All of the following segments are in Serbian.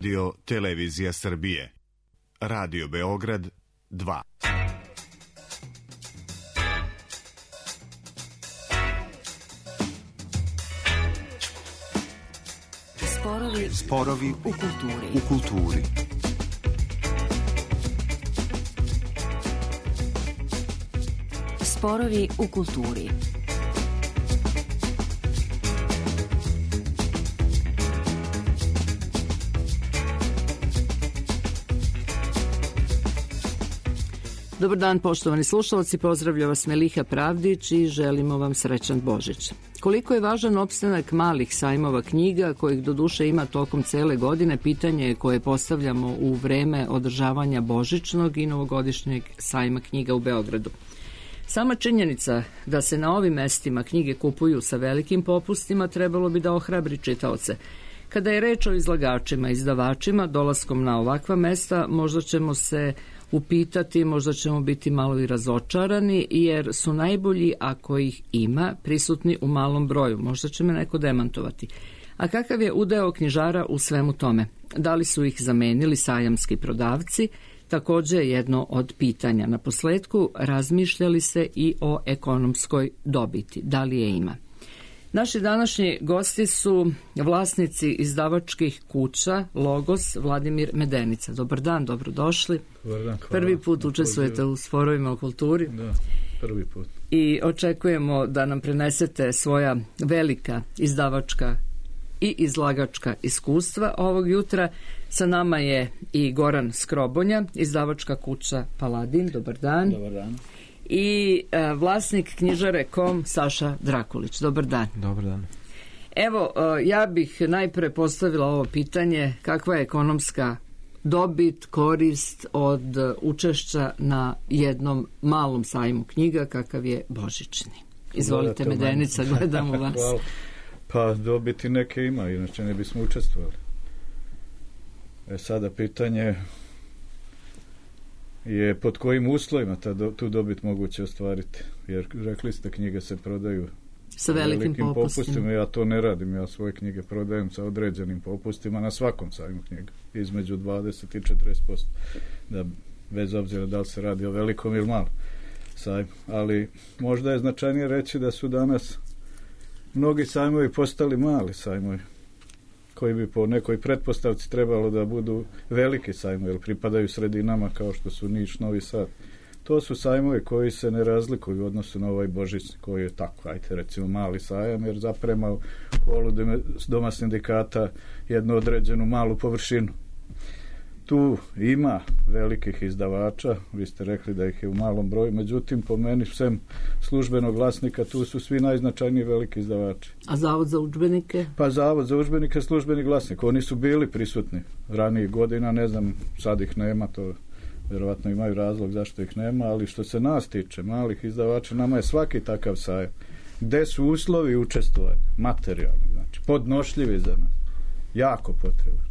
Radio Televizija Srbije. Radio Beograd 2. Sporovi u kulturi. Sporovi u kulturi. Dobar dan, poštovani slušalci, pozdravlja vas Meliha Pravdić i želimo vam srećan Božić. Koliko je važan opstanak malih sajmova knjiga, kojih doduše ima tokom cele godine, pitanje je koje postavljamo u vreme održavanja božićnog i novogodišnjeg sajma knjiga u Beogradu. Sama činjenica da se na ovim mestima knjige kupuju sa velikim popustima trebalo bi da ohrabri čitaoce. Kada je reč o izlagačima i izdavačima, dolaskom na ovakva mesta možda ćemo se upitati, možda ćemo biti malo i razočarani, jer su najbolji, ako ih ima, prisutni u malom broju. Možda će me neko demantovati. A kakav je udeo knjižara u svemu tome? Da li su ih zamenili sajamski prodavci? Takođe je jedno od pitanja. Na posledku razmišljali se i o ekonomskoj dobiti. Da li je ima? Naši današnji gosti su vlasnici izdavačkih kuća Logos, Vladimir Medenica. Dobar dan, dobrodošli. Dobar dan, hvala. Prvi put učestvujete u sporovima o kulturi. Da, prvi put. I očekujemo da nam prenesete svoja velika izdavačka i izlagačka iskustva ovog jutra. Sa nama je i Goran Skrobonja, izdavačka kuća Paladin. Dobar dan. Dobar dan. I vlasnik knjižare.com Saša Drakulić. Dobar dan. Dobar dan. Evo, ja bih najpre postavila ovo pitanje: kakva je ekonomska dobit, korist od učešća na jednom malom sajmu knjiga kakav je božićni? Izvolite, Medenica, gledamo vas. Hvala. Pa dobiti neke ima, inače ne bismo učestvovali. Sada pitanje je pod kojim uslovima tu dobit moguće ostvariti, jer rekli ste knjige se prodaju sa velikim popustima. Ja to ne radim, ja svoje knjige prodajem sa određenim popustima na svakom sajmu knjiga, između 20 i 40%, da bez obzira da li se radi o velikom ili malom sajmu. Ali možda je značajnije reći da su danas mnogi sajmovi postali mali sajmovi, koji bi po nekoj pretpostavci trebalo da budu veliki sajmovi, jer pripadaju sredinama kao što su Niš, Novi Sad. To su sajmovi koji se ne razlikuju u odnosu na ovaj božićni, koji je tako, ajte recimo mali sajam, jer zaprema u holu Doma sindikata jednu određenu malu površinu. Tu ima velikih izdavača, vi ste rekli da ih je u malom broju, međutim po meni sem službenog glasnika tu su svi najznačajniji veliki izdavači. A Zavod za udžbenike? Pa Zavod za udžbenike, službeni glasnik, oni su bili prisutni ranijih godina, ne znam, sad ih nema, to vjerovatno imaju razlog zašto ih nema, ali što se nas tiče, malih izdavača, nama je svaki takav sajam gde su uslovi učestvovanja, materijalni, znači podnošljivi za nas, jako potreban.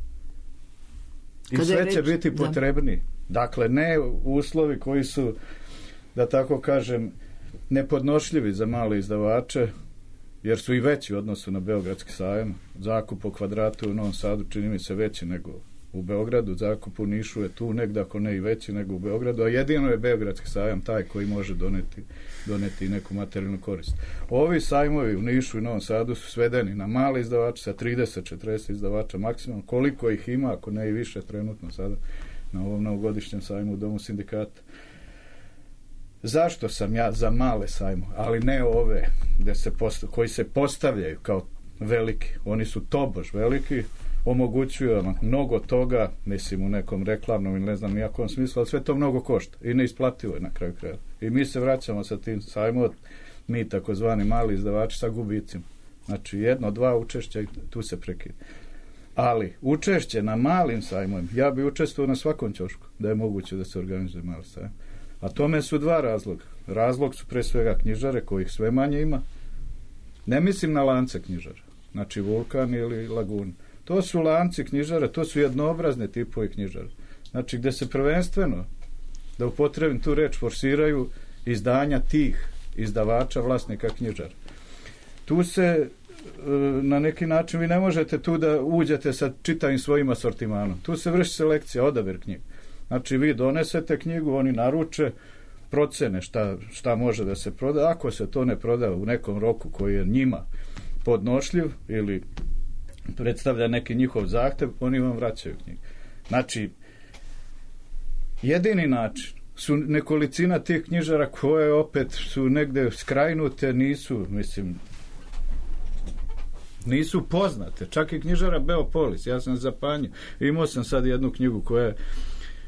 I sve će biti potrebni. Dakle, ne uslovi koji su, da tako kažem, nepodnošljivi za male izdavače, jer su i veći u odnosu na beogradski sajam. Zakup po kvadratu u Novom Sadu čini mi se veći nego u Beogradu, zakup u Nišu je tu negdje, ako ne i veći nego u Beogradu, a jedino je beogradski sajam taj koji može doneti neku materijalnu korist. Ovi sajmovi u Nišu i Novom Sadu su svedeni na male izdavače sa 30-40 izdavača maksimum, koliko ih ima, ako ne i više trenutno sada na ovom novogodišnjem sajmu u Domu sindikata. Zašto sam ja za male sajmo, ali ne ove koji se postavljaju kao veliki? Oni su tobož veliki, omogućuju vam mnogo toga, mislim u nekom reklamnom ili ne znam nijakom smislu, ali sve to mnogo košta i neisplativo je na kraju kraja. I mi se vraćamo sa tim sajmom, mi takozvani mali izdavači, sa gubicima. Znači 1-2 učešća i tu se prekida. Ali učešće na malim sajmovima, ja bi učestvovao na svakom ćošku da je moguće da se organizuje mali sajam. A tome su dva razloga. Razlog su pre svega knjižare, kojih sve manje ima. Ne mislim na lance knjižara, znači Vulkan ili Laguna. To su lanci knjižara, to su jednoobrazne tipovi knjižara. Znači gde se prvenstveno, da upotrebim tu reč, forsiraju izdanja tih izdavača, vlasnika knjižara. Tu se na neki način vi ne možete tu da uđete sa čitavim svojim asortimanom. Tu se vrši selekcija, odabir knjiga. Znači vi donesete knjigu, oni naruče, procene šta može da se proda. Ako se to ne proda u nekom roku koji je njima podnošljiv ili predstavlja neki njihov zahtev, oni vam vraćaju knjigu. Znači, jedini način su nekolicina tih knjižara koje opet su negde skrajnute, nisu poznate. Čak i knjižara Beopolis, ja sam zapanjio. Imao sam sad jednu knjigu koja je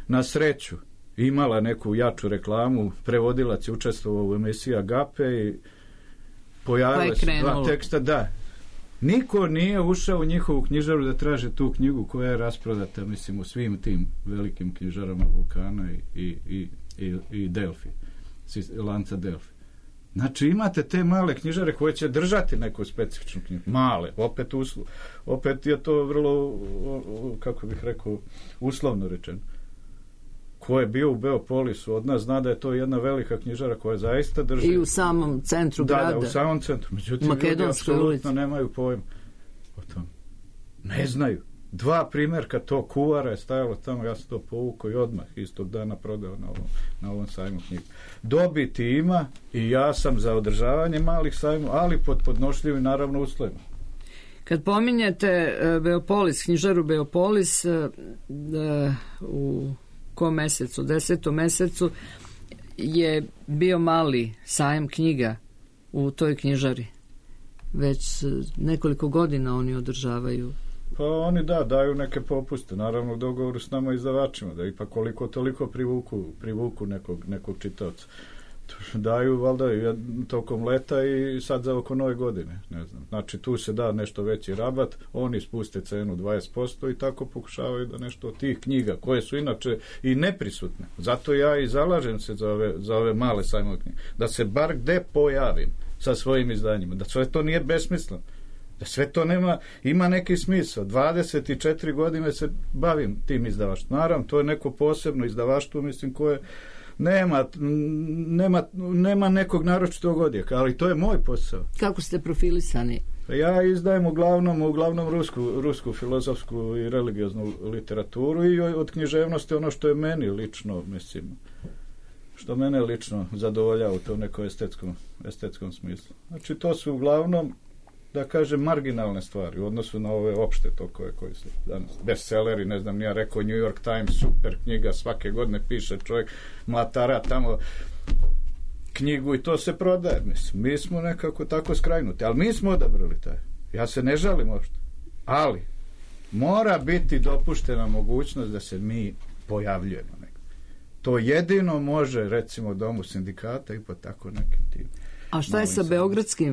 na sreću imala neku jaču reklamu, prevodilac je učestvovao u emisiji Agape i pojavile se dva teksta. Da, niko nije ušao u njihovu knjižaru da traže tu knjigu koja je rasprodata, u svim tim velikim knjižarama Vulkana i Delfi, lanca Delfi. Znači imate te male knjižare koje će držati neku specifičnu knjigu. Male, opet je to vrlo, kako bih rekao, uslovno rečeno. Ko je bio u Beopolisu od nas zna da je to jedna velika knjižara koja zaista drži. I u samom centru grada. Da, u samom centru. Međutim, ljudi apsolutno nemaju pojma o tom. Ne znaju. 2 primjerka to kuvara je stajalo tamo, ja sam to povukao i odmah istog dana prodao na ovom sajmu knjigu. Dobiti ima i ja sam za održavanje malih sajmova, ali pod podnošljivim naravno uslovima. Kad pominjete Beopolis, knjižaru Beopolis, u kom mesecu, 10. mesecu je bio mali sajam knjiga u toj knjižari. Već nekoliko godina oni održavaju. Pa oni daju neke popuste, naravno u dogovoru s nama izdavačima, da ipak koliko toliko privuku nekog čitaoca. Daju valjda tokom leta i sad za oko nove godine, ne znam. Znači tu se da nešto veći rabat, oni spuste cenu 20% i tako pokušavaju da nešto od tih knjiga, koje su inače i neprisutne. Zato ja i zalažem se za ove male sajmove knjige, da se bar gde pojavim sa svojim izdanjima, da sve to nije besmisleno, da sve to ima neki smisao. 24 godine se bavim tim izdavaštvom. Naravno, to je neko posebno izdavaštvo, koje nema nekog naročitog odjeka, ali to je moj posao. Kako ste profilisani? Ja izdajem uglavnom rusku filozofsku i religioznu literaturu i od književnosti ono što je meni lično, što mene lično zadovoljava u tom nekom estetskom smislu. Znači, to su uglavnom, da kažem, marginalne stvari u odnosu na ove opšte tokove koji su danas bestselleri, ne znam, nije rekao New York Times, super knjiga, svake godine piše čovjek, mlatara tamo knjigu i to se prodaje. Mi smo nekako tako skrajnuti, ali mi smo odabrali taj. Ja se ne žalim uopšte. Ali mora biti dopuštena mogućnost da se mi pojavljujemo nekako. To jedino može, recimo, Domu sindikata i po tako nekim tim. A šta je sa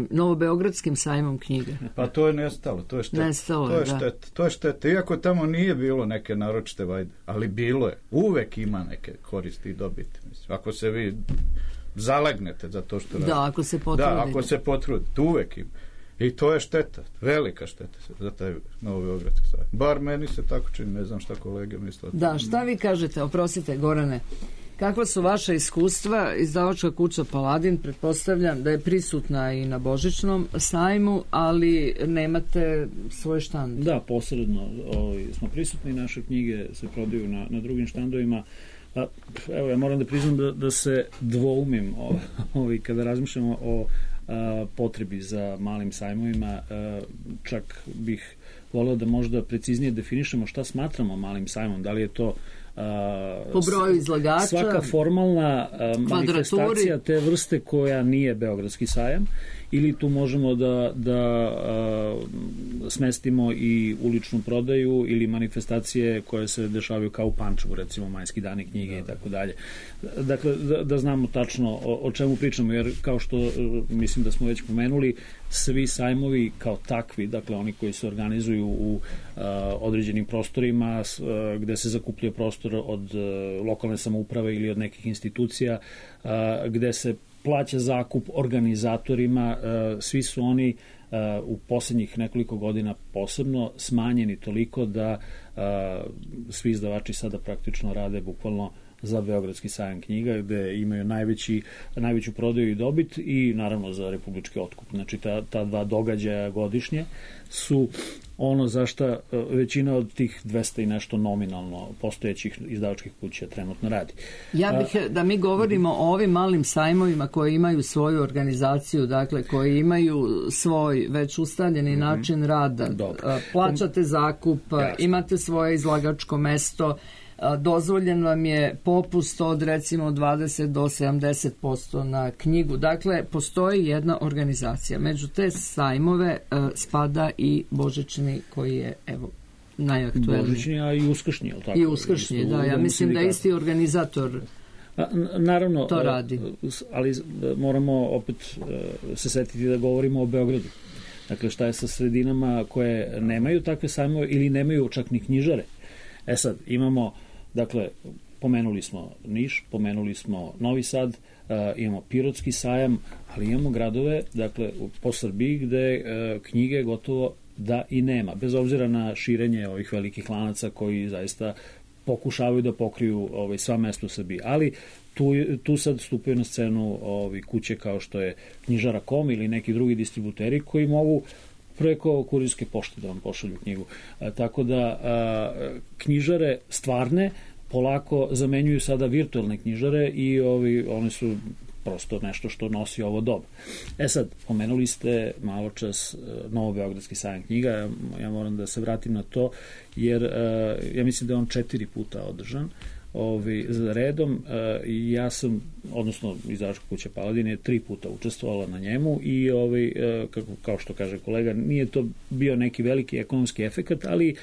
novobeogradskim sajmom knjiga? Pa to je nestalo, to je šteta. To je šteta. Iako tamo nije bilo neke naročite vajde, ali bilo je. Uvek ima neke koristi i dobiti. Ako se vi zalegnete za to što radite. Da, ako se potrudite. Da, ako se potrudite, uvek ima. I to je šteta, velika šteta za taj novobeogradski sajam. Bar meni se tako čini, ne znam šta kolege misle. Da, šta vi kažete, oprostite Gorane, kakva su vaša iskustva? Izdavačka kuća Paladin, pretpostavljam da je prisutna i na Božićnom sajmu, ali nemate svoj štand. Da, posredno smo prisutni, naše knjige se prodaju na drugim štandovima. Evo, ja moram da priznam da se dvoumim kada razmišljamo o potrebi za malim sajmovima. Čak bih voleo da možda preciznije definišemo šta smatramo malim sajmom. Da li je to po broju izlagača, svaka formalna manifestacija te vrste koja nije Beogradski sajam, ili tu možemo da smestimo i uličnu prodaju ili manifestacije koje se dešavaju kao u Pančevu, recimo Majski dani knjige i tako dalje. Dakle, da znamo tačno o čemu pričamo, jer kao što mislim da smo već pomenuli, svi sajmovi kao takvi, dakle oni koji se organizuju u određenim prostorima gde se zakupljuje prostor od lokalne samouprave ili od nekih institucija, gde se plaća zakup organizatorima, svi su oni u posljednjih nekoliko godina posebno smanjeni toliko da svi izdavači sada praktično rade bukvalno za Beogradski sajam knjiga, gde imaju najveću prodaju i dobit, i naravno za republički otkup. Znači ta dva događaja godišnje su ono za šta većina od tih 200 i nešto nominalno postojećih izdavačkih kuća trenutno radi. Ja bih da mi govorimo o ovim malim sajmovima koji imaju svoju organizaciju, dakle koji imaju svoj već ustaljeni način rada. Plaćate zakup, imate svoje izlagačko mesto, dozvoljen vam je popust od recimo 20 do 70% na knjigu. Dakle, postoji jedna organizacija. Među te sajmove spada i božićni koji je, evo, najaktuelniji. Božićni, a i uskršnji, ali tako? I uskršnji, da. Ja mislim da isti organizator naravno, to radi. Ali moramo opet se setiti da govorimo o Beogradu. Dakle, šta je sa sredinama koje nemaju takve sajmove ili nemaju čak ni knjižare? Sad, imamo, dakle, pomenuli smo Niš, pomenuli smo Novi Sad, imamo Pirotski sajam, ali imamo gradove, dakle, po Srbiji gde knjige gotovo da i nema, bez obzira na širenje ovih velikih lanaca koji zaista pokušavaju da pokriju sva mesta u Srbiji, ali tu sad stupaju na scenu kuće kao što je Knjižara.com ili neki drugi distributeri koji mogu preko kurirske pošte da vam pošalju knjigu. Tako da knjižare stvarne polako zamenjuju sada virtualne knjižare i one su prosto nešto što nosi ovo doba. Sad, pomenuli ste malo čas Novobeogradski sajam knjiga, ja moram da se vratim na to, jer ja mislim da je on 4 puta održan za redom. Ja sam, odnosno izdavačka kuća Paladin je 3 puta učestvovala na njemu i kao što kaže kolega, nije to bio neki veliki ekonomski efekat, ali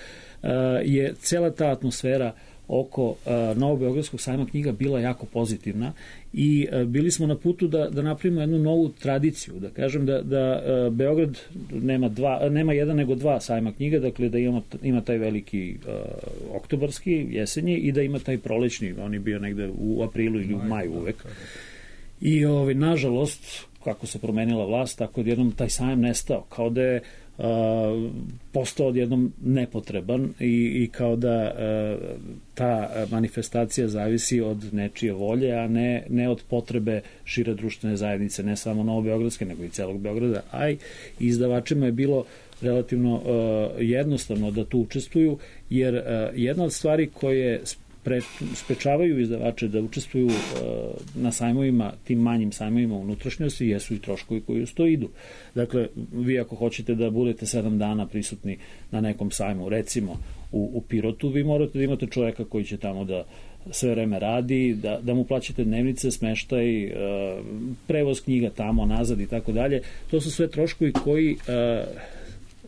je cela ta atmosfera oko Novobeogradskog sajma knjiga bila jako pozitivna i bili smo na putu da napravimo jednu novu tradiciju, da kažem da Beograd nema jedan nego 2 sajma knjiga, dakle da ima taj veliki oktobarski, jesenji, i da ima taj prolećni, on je bio negde u aprilu ili u maju uvek. I nažalost, kako se promenila vlast, tako odjednom taj sajam nestao, kao da je postao odjednom nepotreban i kao da ta manifestacija zavisi od nečije volje, a ne od potrebe šire društvene zajednice, ne samo Novobeogradske, nego i celog Beograda, a i izdavačima je bilo relativno jednostavno da tu učestvuju, jer jedna od stvari koje sprečavaju izdavače da učestvuju na sajmovima, tim manjim sajmovima unutrašnjosti, jesu i troškovi koji uz to idu. Dakle, vi ako hoćete da budete 7 dana prisutni na nekom sajmu, recimo u Pirotu, vi morate da imate čoveka koji će tamo da sve vreme radi, da mu plaćate dnevnice, smeštaj, prevoz knjiga tamo, nazad i tako dalje. To su sve troškovi koji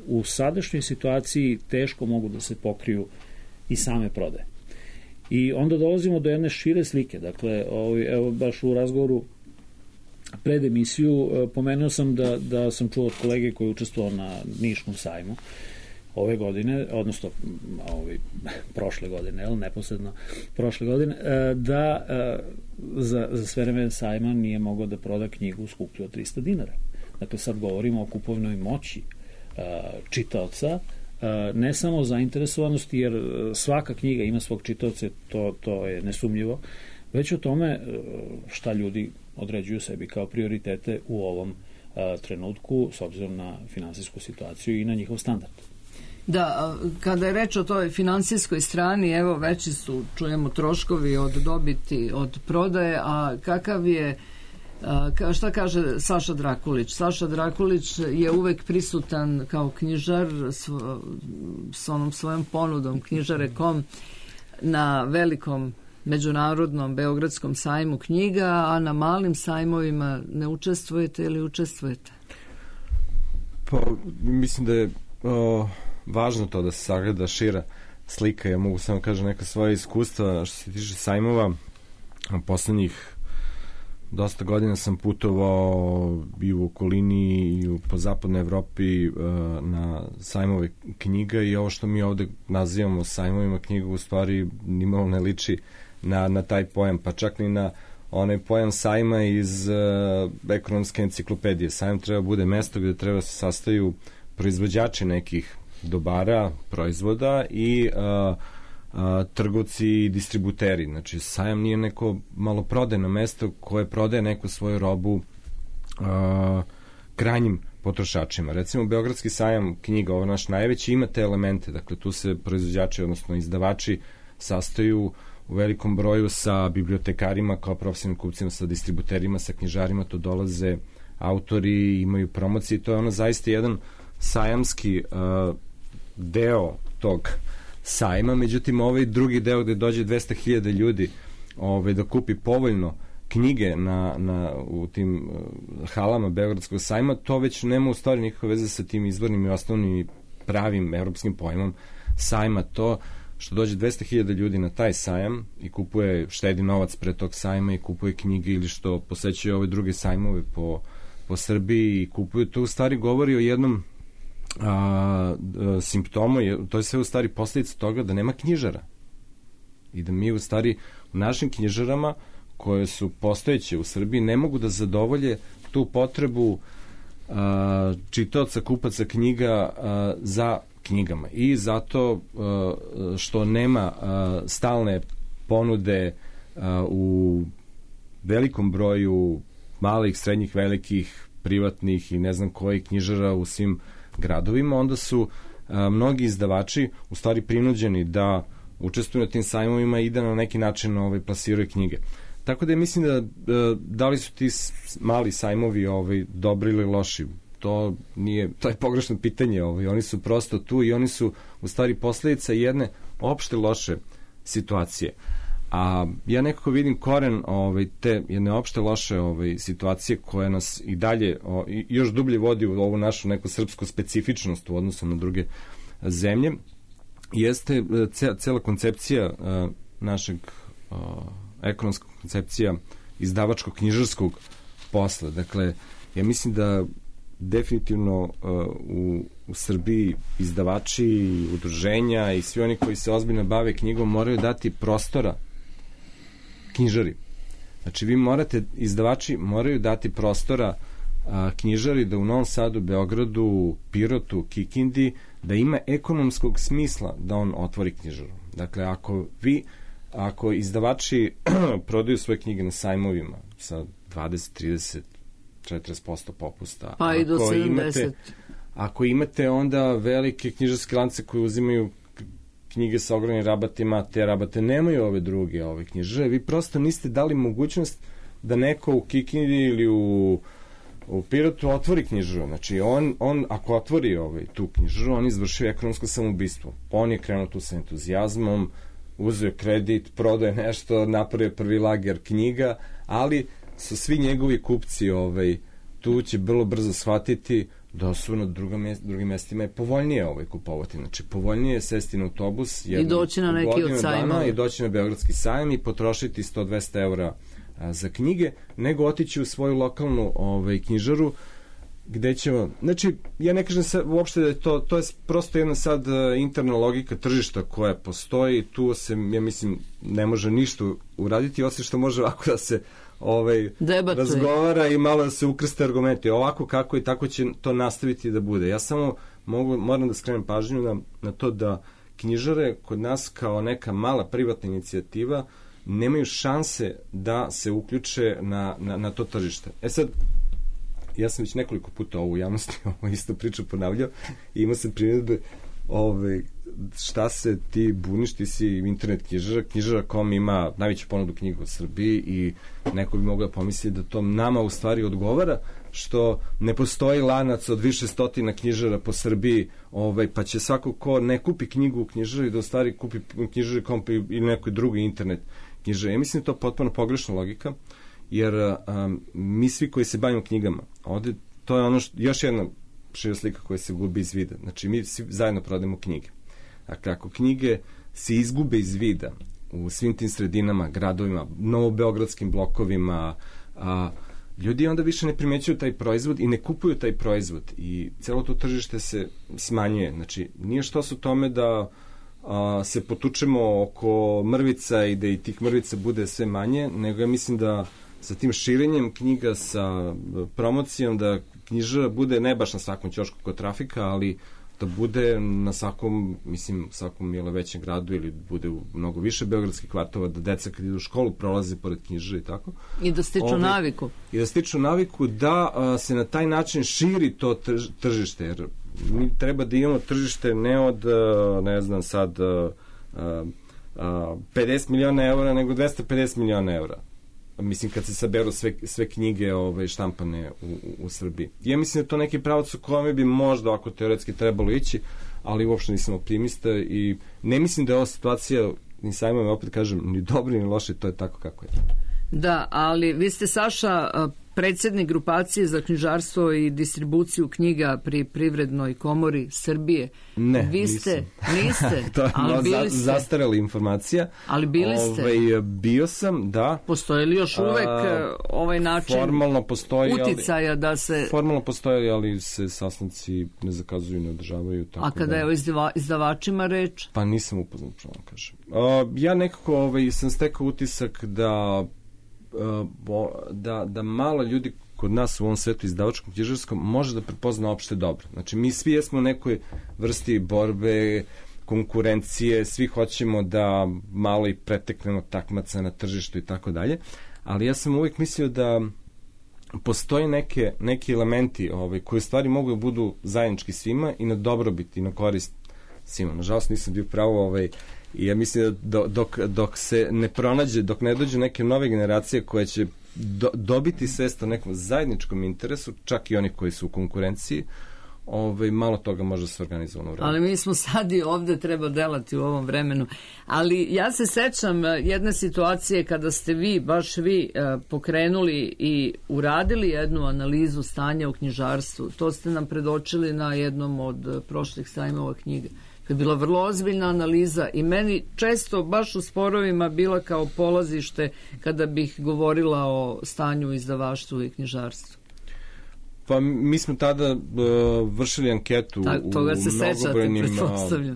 u sadašnjoj situaciji teško mogu da se pokriju i same prodaje. I onda dolazimo do jedne šire slike. Dakle, evo baš u razgovoru pred emisiju pomenuo sam da sam čuo od kolege koji je učestvovao na Niškom sajmu ove godine, odnosno prošle godine, neposredno prošle godine, da za sve vreme sajma nije mogao da proda knjigu skuplju od 300 dinara. Dakle, sad govorimo o kupovnoj moći čitaoca, ne samo zainteresovanosti, jer svaka knjiga ima svog čitaoca, to je nesumnjivo, već o tome šta ljudi određuju sebi kao prioritete u ovom trenutku s obzirom na finansijsku situaciju i na njihov standard. Da, kada je reč o toj finansijskoj strani, evo veći su, čujemo, troškovi od dobiti, od prodaje, a kakav je, šta kaže Saša Drakulić? Saša Drakulić je uvek prisutan kao knjižar s onom svojom ponudom Knjižare.com na velikom međunarodnom Beogradskom sajmu knjiga, a na malim sajmovima ne učestvujete ili učestvujete? Pa, mislim da je važno to da se sagleda šira slika. Ja mogu samo kažem neka svoja iskustva što se tiče sajmova. Poslednjih dosta godina sam putovao i u okolini i po zapadnoj Evropi na sajmove knjiga i ovo što mi ovde nazivamo sajmovima knjiga u stvari nimalo ne liči na taj pojam, pa čak ni na onaj pojam sajma iz ekonomske enciklopedije. Sajam treba bude mesto gde treba se sastaju proizvođači nekih dobara, proizvoda i trgovci i distributeri. Znači, sajam nije neko maloprodajno mesto koje prodaje neku svoju robu krajnjim potrošačima. Recimo, Beogradski sajam knjiga, ovo naš najveći, ima te elemente. Dakle, tu se proizvođači, odnosno izdavači, sastaju u velikom broju sa bibliotekarima kao profesionalnim kupcima, sa distributerima, sa knjižarima, tu dolaze autori, imaju promocije, to je ono zaista jedan sajamski deo tog sajma, međutim ovaj drugi deo gde dođe 200.000 ljudi da kupi povoljno knjige u tim halama Beogradskog sajma, to već nema u stvari nikakve veze sa tim izvornim i osnovnim i pravim evropskim pojmom sajma. To što dođe 200.000 ljudi na taj sajam i kupuje, štedi novac pre tog sajma i kupuje knjige, ili što posećuje ove druge sajmove po Srbiji i kupuju, to u stvari govori o jednom simptomu, to je sve u stvari posljedica toga da nema knjižara i da mi u stvari u našim knjižarama koje su postojeće u Srbiji ne mogu da zadovolje tu potrebu čitaoca, kupaca knjiga za knjigama, i zato što nema stalne ponude u velikom broju malih, srednjih, velikih, privatnih i ne znam kojih knjižara u svim gradovima, onda su mnogi izdavači u stvari prinuđeni da učestvuju na tim sajmovima i da na neki način plasiraju knjige. Tako da ja mislim da li su ti mali sajmovi dobri ili loši, to je pogrešno pitanje, oni su prosto tu i oni su u stvari posledica jedne opšte loše situacije. A ja nekako vidim koren te jedne opšte loše situacije koja nas i dalje još dublje vodi u ovu našu neku srpsku specifičnost u odnosu na druge zemlje, jeste cela koncepcija našeg ekonomska koncepcija izdavačko-knjižarskog posla. Dakle, ja mislim da definitivno u Srbiji izdavači, udruženja i svi oni koji se ozbiljno bave knjigom moraju dati prostora knjižari. Znači, izdavači moraju dati prostora knjižari da u Novom Sadu, Beogradu, Pirotu, Kikindi, da ima ekonomskog smisla da on otvori knjižaru. Dakle, ako izdavači prodaju svoje knjige na sajmovima sa 20, 30, 40% popusta, pa i do 70%. Ako imate onda velike knjižarske lance koji uzimaju knjige sa ogromnim rabatima, te rabate nemaju ove druge knjižare, vi prosto niste dali mogućnost da neko u Kikindi ili u Pirotu otvori knjižaru. Znači, on ako otvori tu knjižaru, on izvršio ekonomsko samoubistvo. On je krenuo tu sa entuzijazmom, uzeo kredit, prodaje nešto, napravio prvi lager knjiga, ali su svi njegovi kupci tu će vrlo brzo shvatiti da su na drugim mestima je povoljnije kupovati. Znači, povoljnije je sesti na autobus i doći na neki od sajmova i doći na Beogradski sajam i potrošiti 100-200 evra za knjige, nego otići u svoju lokalnu knjižaru gde ćemo, znači, ja ne kažem uopšte da je to je prosto jedna sad interna logika tržišta koja postoji, tu se, ja mislim, ne može ništa uraditi, osim što može ovako da se razgovara i malo da se ukrste argumenti, ovako kako i tako će to nastaviti da bude. Ja samo moram da skrenem pažnju na to da knjižare kod nas kao neka mala privatna inicijativa nemaju šanse da se uključe na to tržište. Sad, ja sam već nekoliko puta u javnosti isto priču ponavljao i imao sam primjedbe šta se ti buniš, ti si internet knjižara.com ima najveću ponudu knjiga u Srbiji i neko bi mogao pomisliti da to nama u stvari odgovara, što ne postoji lanac od više stotina knjižara po Srbiji, pa će svako ko ne kupi knjigu u knjižari da u stvari kupi knjižari.com ili nekoj drugi internet knjižari. Ja mislim da je to potpuno pogrešna logika, jer mi svi koji se bavimo knjigama, ovde to je ono još jedna šira slika koja se gubi iz vida. Znači, mi svi zajedno prodajemo knjige. Dakle, ako knjige se izgube iz vida u svim tim sredinama, gradovima, novobeogradskim blokovima, ljudi onda više ne primećuju taj proizvod i ne kupuju taj proizvod i celo to tržište se smanjuje. Znači, nije što su tome da se potučemo oko mrvica i da i tih mrvica bude sve manje, nego ja mislim da sa tim širenjem knjiga, sa promocijom, da knjižara bude ne baš na svakom ćošku kod trafika, ali da bude na svakom, mislim, svakom većem gradu ili bude u mnogo više beogradskih kvartova, da deca kad idu u školu prolaze pored knjižara i tako. I da stiču naviku. I da stiču naviku da se na taj način širi to tržište, jer mi treba da imamo tržište ne od, ne znam sad, 50 miliona eura, nego 250 miliona eura. Mislim, kad se saberu sve knjige štampane u Srbiji. Ja mislim da to neki pravac u kome bi možda ako teoretski trebalo ići, ali uopšte nisam optimista i ne mislim da je ova situacija, ni sajmove, opet kažem, ni dobri ni loši, to je tako kako je. Da, ali vi ste, Saša, predsjednik grupacije za knjižarstvo i distribuciju knjiga pri Privrednoj komori Srbije. Ne, niste. To je zastarela informacija. Ali bili ste. Bio sam, da. Postoji li još uvek ovaj način uticaja da se... Formalno postoji, ali se sastanci ne zakazuju, ne održavaju. Tako a kada je o izdavačima reč? Pa nisam upoznat, što vam kažem. Ja nekako sam stekao utisak da malo ljudi kod nas u ovom svetu izdavačkom knjižarskom može da prepozna opšte dobro. Znači, mi svi jesmo u nekoj vrsti borbe, konkurencije, svi hoćemo da malo i preteknemo takmaca na tržištu i tako dalje, ali ja sam uvijek mislio da postoje neki elementi koji u stvari mogu da budu zajednički svima i na dobrobit i na korist svima. Nažalost, nisam bio pravo i ja mislim da dok se ne pronađe, dok ne dođu neke nove generacije koje će dobiti svest o nekom zajedničkom interesu, čak i oni koji su u konkurenciji, malo toga može se organizovano vreme. Ali mi smo sad i ovde treba delati u ovom vremenu. Ali ja se sećam jedne situacije kada ste baš vi pokrenuli i uradili jednu analizu stanja u knjižarstvu. To ste nam predočili na jednom od prošlih sajmova knjiga. To je bila vrlo ozbiljna analiza i meni često baš u sporovima bila kao polazište kada bih govorila o stanju u izdavaštvu i knjižarstvu. Pa mi smo tada vršili anketu u mnogobrojnim,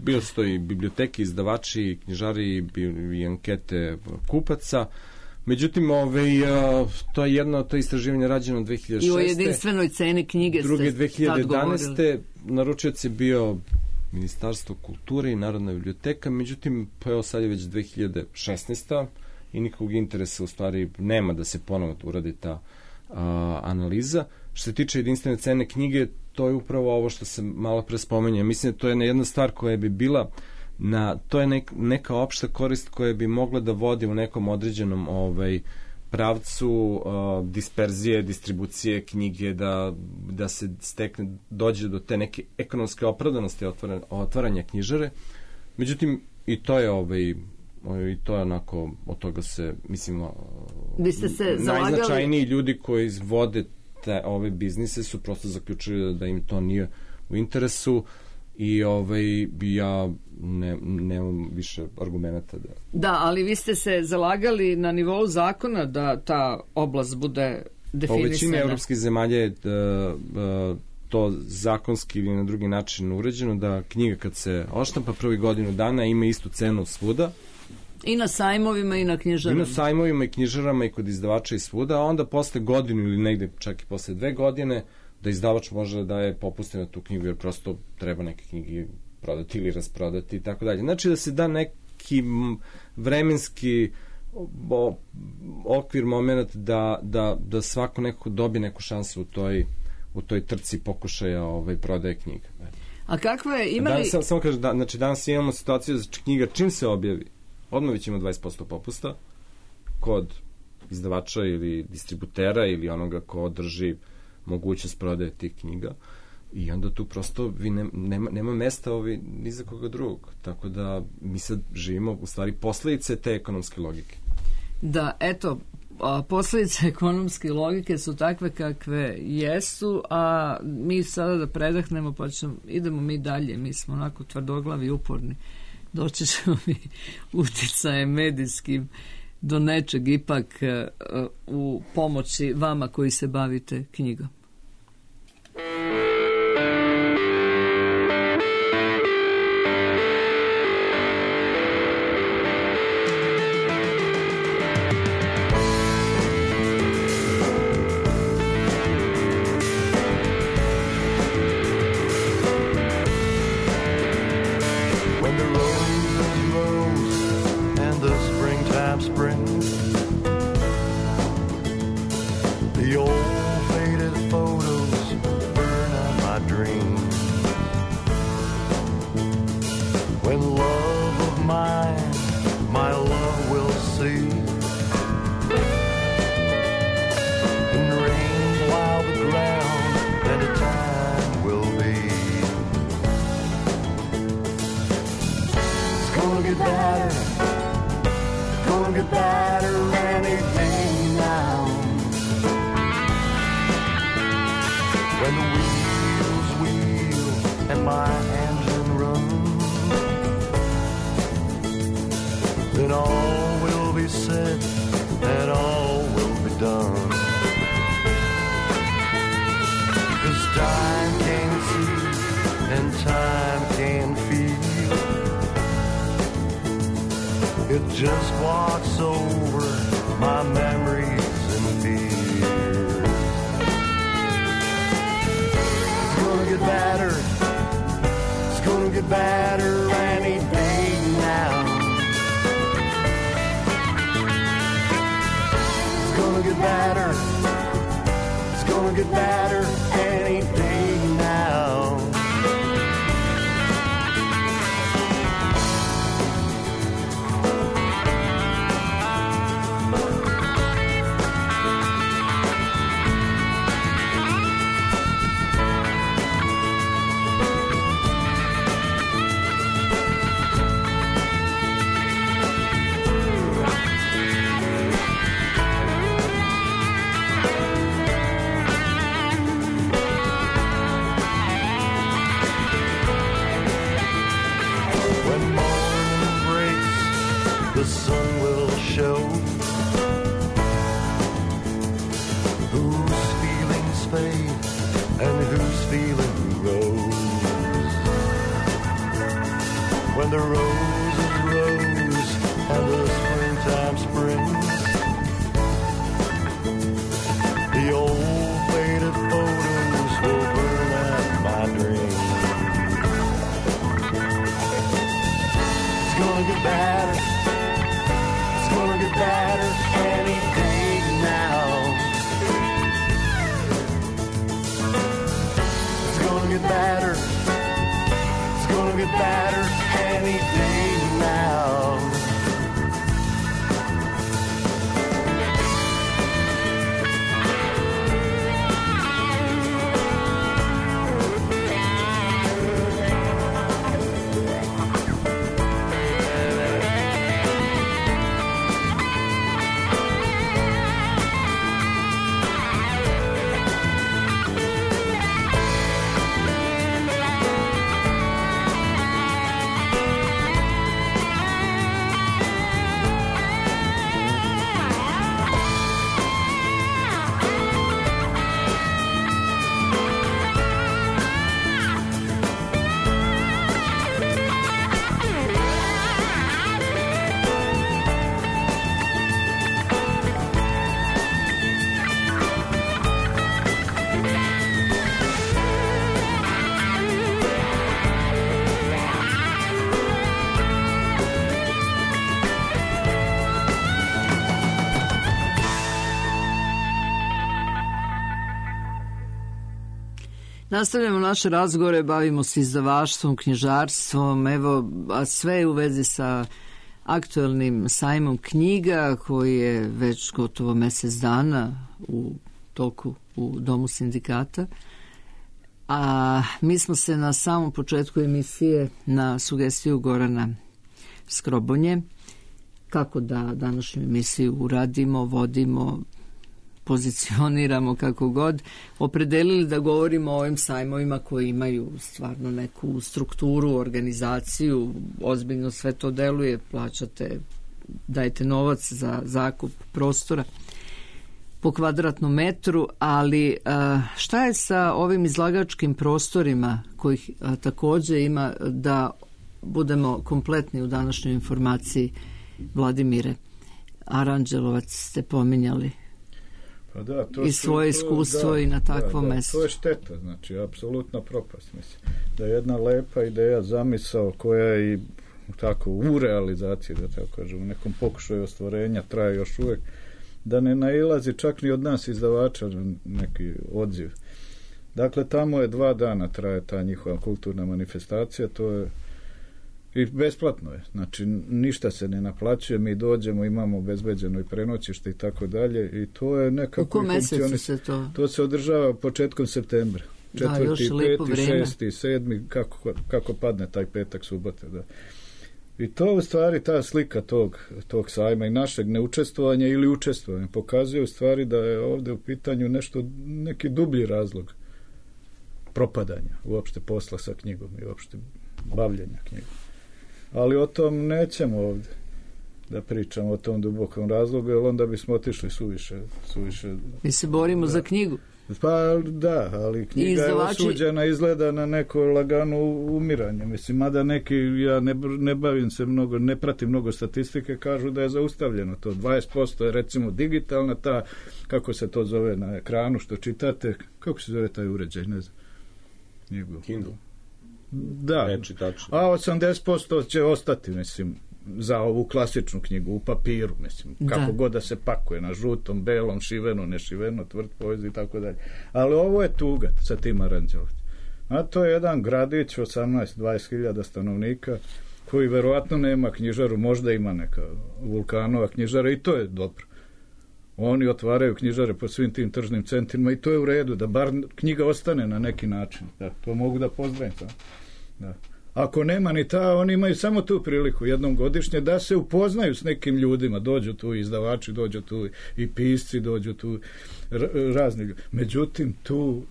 bilo su to i biblioteke, izdavači, knjižari i ankete kupaca. Međutim, to je istraživanje rađeno 2006. I o jedinstvenoj ceni knjige druge ste tad govorili. 2011. Naručioc je bio Ministarstvo kulture i Narodna biblioteka, međutim, sad je već 2016. i nikog interesa u stvari nema da se ponovo uradi ta analiza. Što se tiče jedinstvene cene knjige, to je upravo ovo što se malo pre spomenja. Mislim da to je jedna stvar koja bi bila to je neka opšta korist koja bi mogla da vodi u nekom određenom pravcu disperzije, distribucije knjige, da se dođe do te neke ekonomske opravdanosti otvaranja knjižare. Međutim, i to je onako, od toga se, mislim, najznačajniji ljudi koji vode ove biznise su prosto zaključili da im to nije u interesu i ja nemam više argumenta da... Da, ali vi ste se zalagali na nivou zakona da ta oblast bude definisana. U većini evropskih zemalja je to zakonski ili na drugi način uređeno, da knjiga kad se odštampa prvi godinu dana ima istu cenu svuda. I na sajmovima i na knjižarama. I na sajmovima i knjižarama i kod izdavača i svuda, a onda posle godinu ili negde čak i posle 2 godine da izdavač može da daje popuste na tu knjigu, jer prosto treba neke knjige prodati ili rasprodati i tako dalje. Znači da se da neki vremenski okvir, moment da svako nekako dobije neku šansu u toj trci pokušaja prodaje knjiga. A kakva je, imali... Samo kažem, znači danas imamo situaciju da knjiga čim se objavi, odmah već ima 20% popusta kod izdavača ili distributera ili onoga ko drži mogućnost prodaje tih knjiga i onda tu prosto nema mesta ni za koga drugog. Tako da mi sad živimo u stvari posledice te ekonomske logike. Da, eto, posledice ekonomske logike su takve kakve jesu, a mi sada da predahnemo pa idemo mi dalje, mi smo onako tvrdoglavi i uporni. Doći ćemo mi uticajem medijskim do nečeg ipak u pomoći vama koji se bavite knjigom. get better any day now. When the wheels wheel and my engine runs, then all will be said and all will be done. 'Cause time can see and time can feel. It just walks over my memories and fears. It's gonna get better. It's gonna get better any day now. It's gonna get better. It's gonna get better any day now. The sun will show whose feelings fade and whose feeling grows. When the roses rose and the springtime springs, the old faded photos will burn out my dreams. It's gonna get better. Better any day now. It's gonna get better. It's gonna get better any day now. Nastavljamo naše razgovore, bavimo se izdavaštvom, knjižarstvom, evo, a sve u vezi sa aktuelnim sajmom knjiga koji je već gotovo mjesec dana u toku u Domu sindikata. A mi smo se na samom početku emisije na sugestiju Gorana Skrobonje, kako da današnju emisiju uradimo, vodimo, pozicioniramo kako god, opredelili da govorimo o ovim sajmovima koji imaju stvarno neku strukturu, organizaciju, ozbiljno sve to deluje, plaćate, dajete novac za zakup prostora po kvadratnom metru, ali šta je sa ovim izlagačkim prostorima kojih također ima, da budemo kompletni u današnjoj informaciji? Vladimire Aranđelovac ste pominjali. Pa da, to i svoje iskustvo i na takvom mjestu. To je šteta, znači apsolutna propast, mislim. Da je jedna lepa ideja, zamisao koja je i tako u realizaciji, da tako kažem, u nekom pokušaju ostvarenja traje još uvijek, da ne nailazi čak ni od nas izdavača neki odziv. Dakle, tamo je 2 dana traje ta njihova kulturna manifestacija, to je i besplatno je, znači ništa se ne naplaćuje, mi dođemo, imamo obezbeđeno i prenoćište i tako dalje i to je nekako... U kom mjesecu se to? To se održava početkom septembra. 4., 5., 6., 7., kako padne taj petak, subota, da. I to u stvari, ta slika tog sajma i našeg neučestvovanja ili učestvovanja pokazuje u stvari da je ovdje u pitanju neki dublji razlog propadanja uopšte posla sa knjigom i uopšte bavljenja knjigom. Ali o tom nećemo ovdje da pričamo, o tom dubokom razlogu, jer onda bismo otišli suviše. Mi se borimo za knjigu. Pa da, ali knjiga je osuđena, izgleda na neko lagano umiranje. Mislim, mada neki, ja ne bavim se mnogo, ne pratim mnogo statistike, kažu da je zaustavljeno to. 20% je recimo digitalna, ta, kako se to zove na ekranu što čitate, kako se zove taj uređaj, ne znam. Kindle. Da, a 80% će ostati, mislim, za ovu klasičnu knjigu u papiru, mislim, kako god da se pakuje, na žutom, belom, šiveno, nešiveno, tvrd poeziji i tako dalje. Ali ovo je tuga sa tim Aranđelovcem. A to je jedan gradić 18-20 hiljada stanovnika koji verovatno nema knjižaru, možda ima neka Vulkanova knjižara i to je dobro. Oni otvaraju knjižare po svim tim tržnim centrima i to je u redu, da bar knjiga ostane na neki način. Da, to mogu da pozdravim. Da. Ako nema ni ta, oni imaju samo tu priliku jednom godišnje da se upoznaju s nekim ljudima, dođu tu izdavači, dođu tu i pisci, dođu tu razni ljudi. Međutim, tu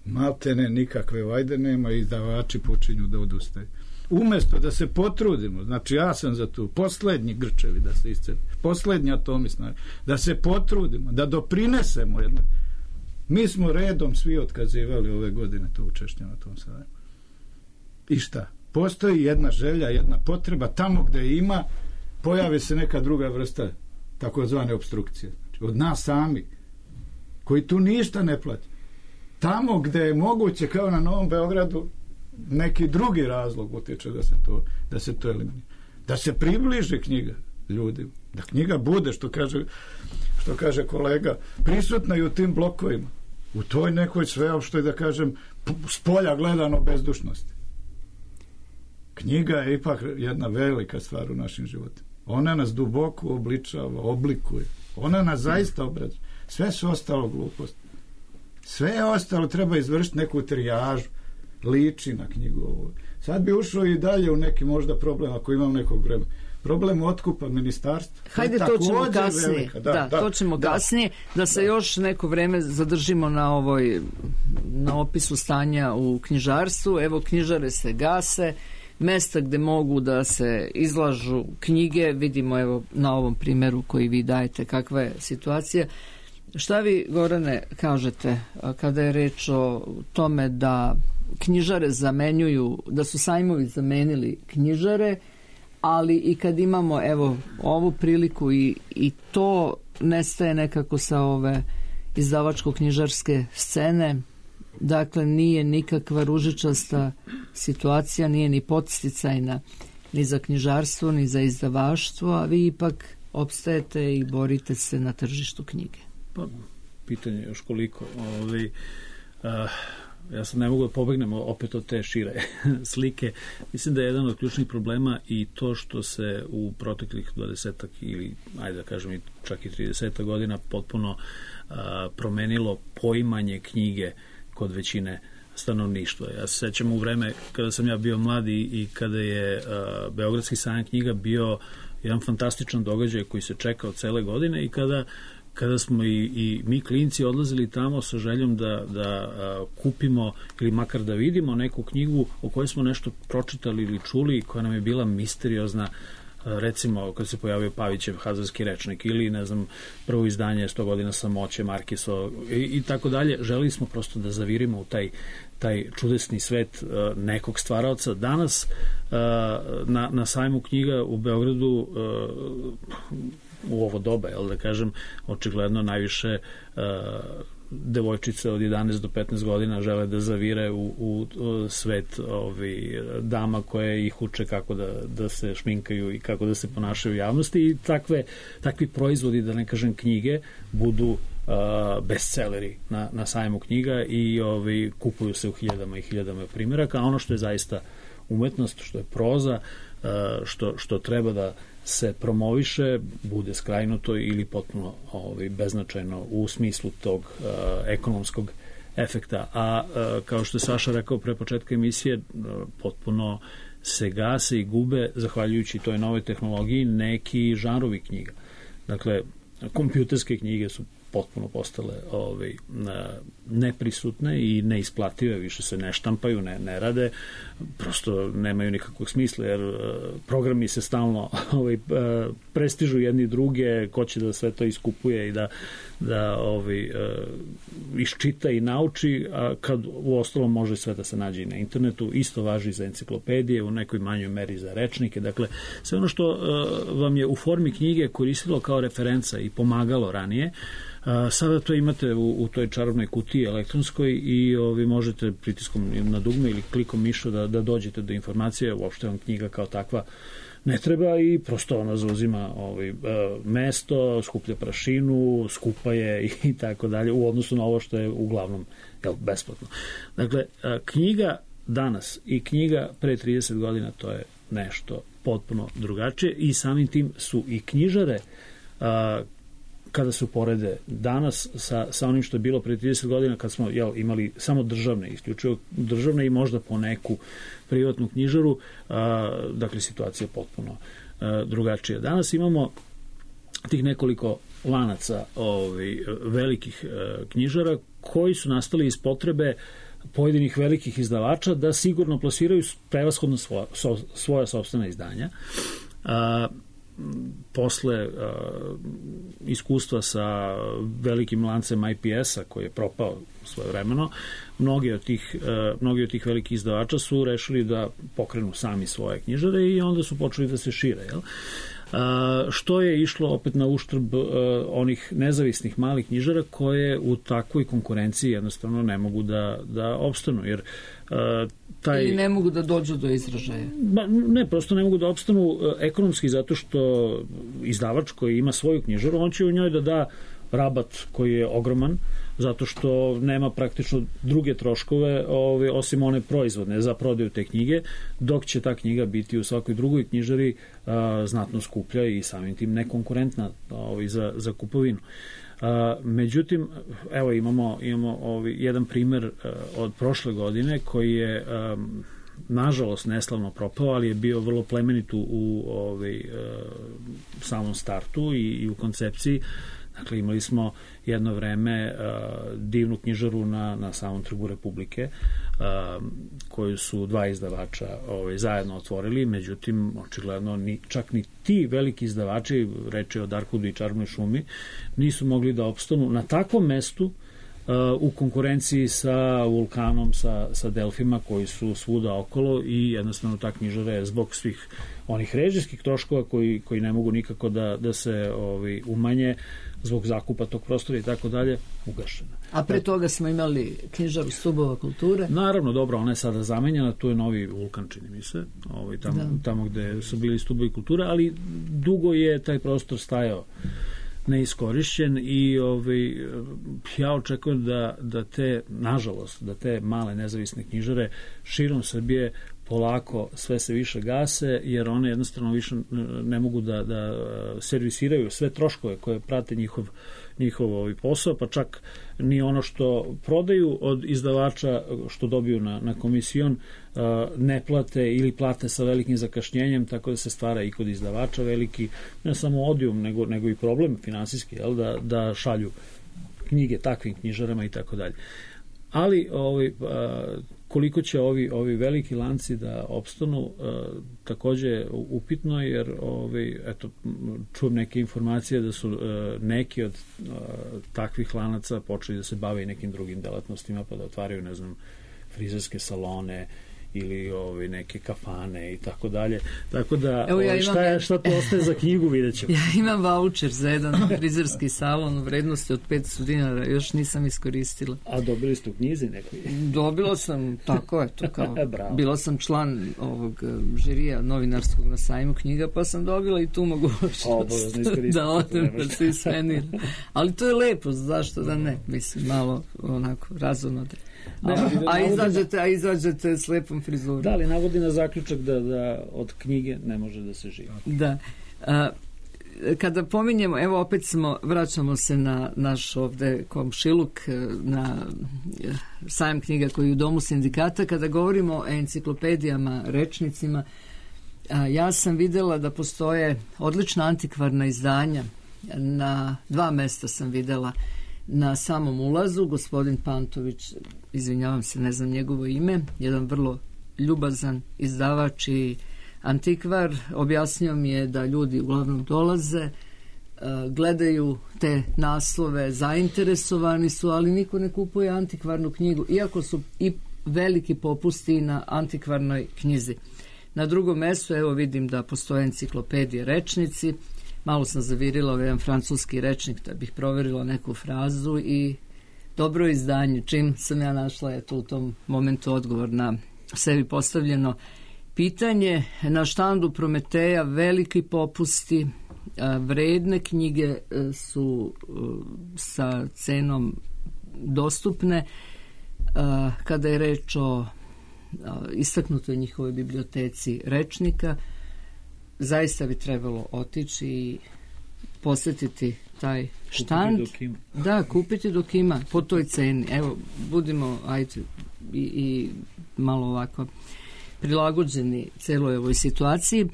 maltene nikakve vajde nema i izdavači počinju da odustaju. Umjesto da se potrudimo, znači ja sam za tu, poslednji grčevi da se iscedi, poslednji atomi snage, da se potrudimo, da doprinesemo jedno. Mi smo redom svi otkazivali ove godine to učešće na tom sajmu. I šta? Postoji jedna želja, jedna potreba, tamo gde ima, pojavi se neka druga vrsta takozvane opstrukcije. Znači, od nas sami, koji tu ništa ne plaća. Tamo gde je moguće, kao na Novom Beogradu, neki drugi razlog utječe da se to eliminira. Da se približi knjiga ljudima. Da knjiga bude, što kaže kolega, prisutna i u tim blokovima. U toj nekoj sveopštoj, da kažem, s polja gledano bezdušnosti. Knjiga je ipak jedna velika stvar u našim životima. Ona nas duboko obličava, oblikuje. Ona nas zaista obrazuje. Sve su ostalo gluposti. Sve je ostalo, treba izvršiti neku trijažu. Liči na knjigu ovo. Sad bi ušao i dalje u neki možda problem, ako imam nekog vremena. Problem otkupa ministarstva. Hajde, to ćemo kasnije. To ćemo kasnije. Da se još neko vreme zadržimo na opisu stanja u knjižarstvu. Evo, knjižare se gase, mesta gde mogu da se izlažu knjige, vidimo evo na ovom primjeru koji vi dajete kakva je situacija. Šta vi, Gorane, kažete kada je reč o tome da knjižare zamenjuju, da su sajmovi zamenili knjižare, ali i kad imamo evo ovu priliku i to nestaje nekako sa ove izdavačko-knjižarske scene, dakle nije nikakva ružičasta situacija, nije ni podsticajna ni za knjižarstvo, ni za izdavaštvo, a vi ipak opstajete i borite se na tržištu knjige. Pa, pitanje još koliko. Ja sad ne mogu da pobegnemo opet od te šire slike. Mislim da je jedan od ključnih problema i to što se u proteklih 20 ili, ajde da kažem, čak i 30 godina potpuno promenilo poimanje knjige kod većine stanovništva. Ja se sećam u vreme kada sam ja bio mlad i kada je Beogradski sajam knjiga bio jedan fantastičan događaj koji se čekao cele godine i kada smo i mi klinci odlazili tamo sa željom da kupimo ili makar da vidimo neku knjigu o kojoj smo nešto pročitali ili čuli, koja nam je bila misteriozna, recimo kad se pojavio Pavićev Hazarski rečnik ili ne znam prvo izdanje 100 godina samoće Markiso i tako dalje. Želeli smo prosto da zavirimo u taj čudesni svet nekog stvaraoca. Danas na sajmu knjiga u Beogradu u ovo doba, da kažem, očigledno najviše devojčice od 11 do 15 godina žele da zavire u svet dama koje ih uče kako da se šminkaju i kako da se ponašaju u javnosti i takvi proizvodi, da ne kažem knjige, budu bestselleri na sajmu knjiga i kupuju se u hiljadama i hiljadama primjeraka, a ono što je zaista umetnost, što je proza, što treba da se promoviše, bude skrajnuto ili potpuno beznačajno u smislu tog ekonomskog efekta. A kao što je Saša rekao pre početka emisije, potpuno se gase i gube, zahvaljujući toj novoj tehnologiji, neki žanrovi knjiga. Dakle, kompjuterske knjige su potpuno postale neprisutne i neisplative, više se ne štampaju, ne rade, prosto nemaju nikakvog smisla, jer programi se stalno prestižu jedni druge, ko će da sve to iskupuje i da iščita i nauči, a kad u ostalom može sve da se nađe i na internetu. Isto važi za enciklopedije, u nekoj manjoj meri za rečnike. Dakle, sve ono što vam je u formi knjige koristilo kao referenca i pomagalo ranije, sada to imate u toj čarobnoj kutiji elektronskoj i vi možete pritiskom na dugme ili klikom miša da dođete do informacije. Uopšte vam knjiga kao takva ne treba i prosto ona zauzima mesto, skuplja prašinu, skupa je i tako dalje u odnosu na ovo što je uglavnom besplatno. Dakle, knjiga danas i knjiga pre 30 godina to je nešto potpuno drugačije i samim tim su i knjižare kada se uporede danas sa onim što je bilo pre 30 godina kad smo imali samo državne, isključivo državne i možda po neku privatnu knjižaru, dakle situacija je potpuno drugačija. Danas imamo tih nekoliko lanaca velikih knjižara koji su nastali iz potrebe pojedinih velikih izdavača da sigurno plasiraju prevashodno svoja sopstvena izdanja. Posle iskustva sa velikim lancem IPS-a koji je propao svojevremeno, mnogi od tih velikih izdavača su rešili da pokrenu sami svoje knjižare i onda su počeli da se šire. Što je išlo opet na uštrb onih nezavisnih malih knjižara koje u takvoj konkurenciji jednostavno ne mogu da opstanu, jer ili ne mogu da dođu do izražaja? Ne, prosto ne mogu da opstanu ekonomski zato što izdavač koji ima svoju knjižaru, on će u njoj da da rabat koji je ogroman, zato što nema praktično druge troškove osim one proizvodne za prodaju te knjige, dok će ta knjiga biti u svakoj drugoj knjižari znatno skuplja i samim tim nekonkurentna za kupovinu. Međutim, evo imamo jedan primer od prošle godine koji je nažalost neslavno propao, ali je bio vrlo plemenit u samom startu i u koncepciji. Dakle, imali smo jedno vreme divnu knjižaru na samom Trgu Republike, koju su dva izdavača zajedno otvorili, međutim, očigledno čak ni ti veliki izdavači, reč je o Darkhudu i Čarobnoj šumi, nisu mogli da opstanu na takvom mestu u konkurenciji sa Vulkanom, sa Delfima koji su svuda okolo i jednostavno ta knjižara je zbog svih onih režijskih troškova koji ne mogu nikako da se umanje zbog zakupa tog prostora i tako dalje, ugašena. A pre toga smo imali knjižaru Stubova kulture? Naravno, dobro, ona je sada zamenjena, tu je novi Vulkan, čini mi se, tamo gde su bili Stubovi kulture, ali dugo je taj prostor stajao neiskorišćen i ja očekujem da te male nezavisne knjižare širom Srbije polako sve se više gase, jer one jednostavno više ne mogu da servisiraju sve troškove koje prate njihov posao, pa čak ni ono što prodaju od izdavača, što dobiju na komisijom, ne plate ili plate sa velikim zakašnjenjem, tako da se stvara i kod izdavača veliki, ne samo odijum, nego i problem finansijski, da šalju knjige takvim knjižarama i tako dalje. Ali koliko će ovi veliki lanci da opstanu, takođe upitno, jer čujem neke informacije da su neki od takvih lanaca počeli da se bave i nekim drugim delatnostima, pa da otvaraju, ne znam, frizerske salone ili neke kafane i tako dalje. Tako da, šta to ostaje za knjigu, vidjet ćemo. Ja imam voucher za jedan frizerski salon u vrednosti od 500 dinara, još nisam iskoristila. A dobili ste u knjizi nekoj? Dobila sam, tako eto, kao bila sam član ovog žirija novinarskog na sajmu knjiga, pa sam dobila i tu mogućnost da odem da se ispenira. Ali to je lepo, zašto da ne? Mislim, malo onako razumno da. A izađete s lepom frizurom. Da, ali navodi na zaključak da od knjige ne može da se živi. Da. kada pominjemo, evo opet vraćamo se na naš ovde komšiluk, na sajam knjiga koji je u Domu sindikata, kada govorimo o enciklopedijama, rečnicima, ja sam videla da postoje odlična antikvarna izdanja. Na 2 mesta sam videla. Na samom ulazu, gospodin Pantović, izvinjavam se, ne znam njegovo ime, jedan vrlo ljubazan izdavač i antikvar, objasnio mi je da ljudi uglavnom dolaze, gledaju te naslove, zainteresovani su, ali niko ne kupuje antikvarnu knjigu, iako su i veliki popusti na antikvarnoj knjizi. Na drugom mestu, evo vidim da postoje enciklopedije rečnici, malo sam zavirila jedan francuski rečnik da bih proverila neku frazu i dobro izdanje. Čim sam ja našla eto u tom momentu odgovor na sebi postavljeno pitanje. Na štandu Prometeja veliki popusti, vredne knjige su sa cenom dostupne. Kada je reč o istaknutoj njihovoj biblioteci rečnika, zaista bi trebalo otići i posjetiti taj štand. Da, kupiti dok ima, po toj ceni. Evo, budimo i malo ovako prilagođeni celoj ovoj situaciji.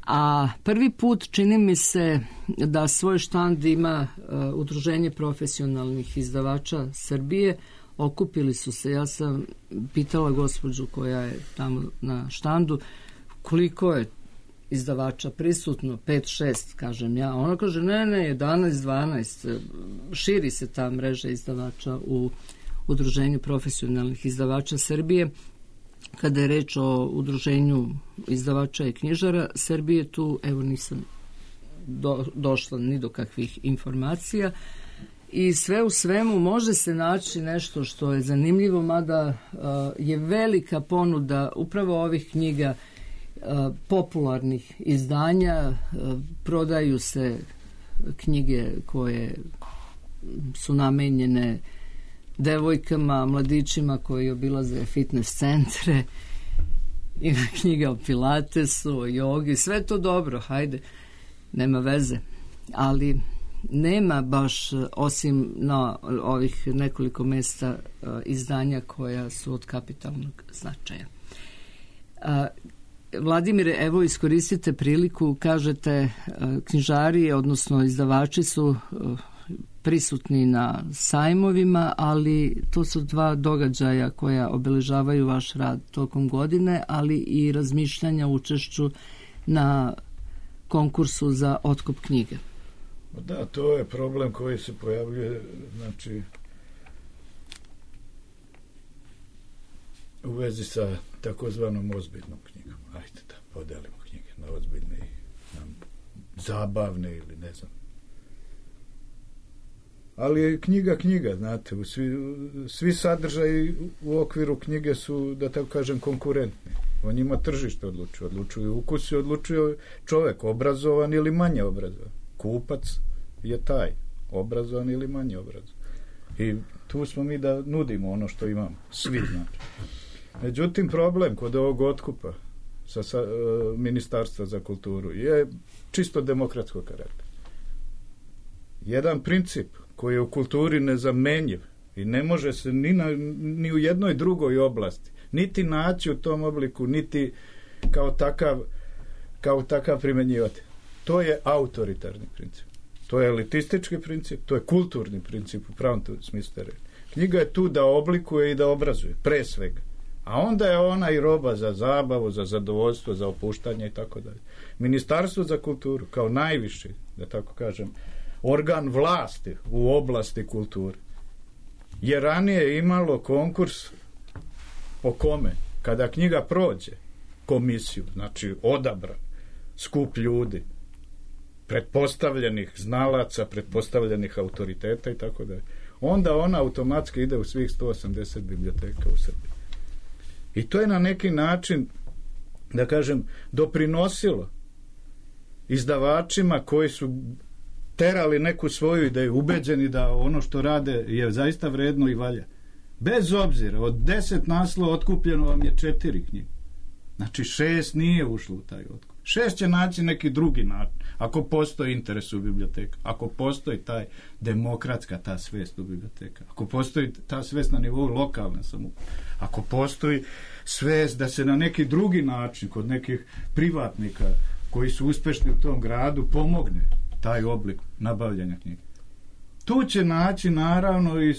A prvi put čini mi se da svoj štand ima Udruženje profesionalnih izdavača Srbije. Okupili su se, ja sam pitala gospođu koja je tamo na štandu koliko je izdavača prisutno, 5-6 kažem ja, ona kaže ne 11-12, širi se ta mreža izdavača u Udruženju profesionalnih izdavača Srbije. Kada je reč o Udruženju izdavača i knjižara Srbije, tu evo nisam došla ni do kakvih informacija i sve u svemu može se naći nešto što je zanimljivo, mada je velika ponuda upravo ovih knjiga, popularnih izdanja, prodaju se knjige koje su namenjene devojkama, mladićima koji obilaze fitness centre, ima knjiga o pilatesu, o jogi, sve to dobro, hajde, nema veze, ali nema baš, osim na ovih nekoliko mesta, izdanja koja su od kapitalnog značaja. Vladimire, evo iskoristite priliku, kažete knjižari, odnosno izdavači su prisutni na sajmovima, ali to su 2 događaja koja obeležavaju vaš rad tokom godine, ali i razmišljanja o učešću na konkursu za otkup knjige. Da, to je problem koji se pojavljuje, znači, u vezi sa takozvanom ozbiljnom knjigom. Ajde da podelimo knjige na ozbiljne i na zabavne ili ne znam. Ali je knjiga, znate, svi sadržaji u okviru knjige su, da tako kažem, konkurentni. O njima tržište odlučuju ukusi, odlučuje čovek, obrazovan ili manje obrazovan. Kupac je taj, obrazovan ili manje obrazovan. I tu smo mi da nudimo ono što imamo, svi znači. Međutim, problem kod ovog otkupa sa Ministarstva za kulturu je čisto demokratskog karaktera. Jedan princip koji je u kulturi nezamenjiv i ne može se ni u jednoj drugoj oblasti niti naći u tom obliku, niti kao takav primenjivati. To je autoritarni princip. To je elitistički princip, to je kulturni princip u pravom smislu. Knjiga je tu da oblikuje i da obrazuje, pre svega. A onda je ona i roba za zabavu, za zadovoljstvo, za opuštanje i tako dalje. Ministarstvo za kulturu, kao najviši, da tako kažem, organ vlasti u oblasti kulture, je ranije imalo konkurs po kome, kada knjiga prođe komisiju, znači odabran skup ljudi, pretpostavljenih znalaca, pretpostavljenih autoriteta i tako dalje, onda ona automatski ide u svih 180 biblioteka u Srbiji. I to je na neki način, da kažem, doprinosilo izdavačima koji su terali neku svoju ideju, ubeđeni da ono što rade je zaista vredno i valja. Bez obzira, od 10 naslova otkupljeno vam je 4 knjige. Znači 6 nije ušlo u taj otkup. 6 će naći neki drugi način. Ako postoji interes u biblioteka, ako postoji taj demokratska ta svest u biblioteka, ako postoji ta svest na nivou lokalne samouprave, ako postoji svest da se na neki drugi način kod nekih privatnika koji su uspešni u tom gradu pomogne taj oblik nabavljanja knjiga. Tu će naći naravno i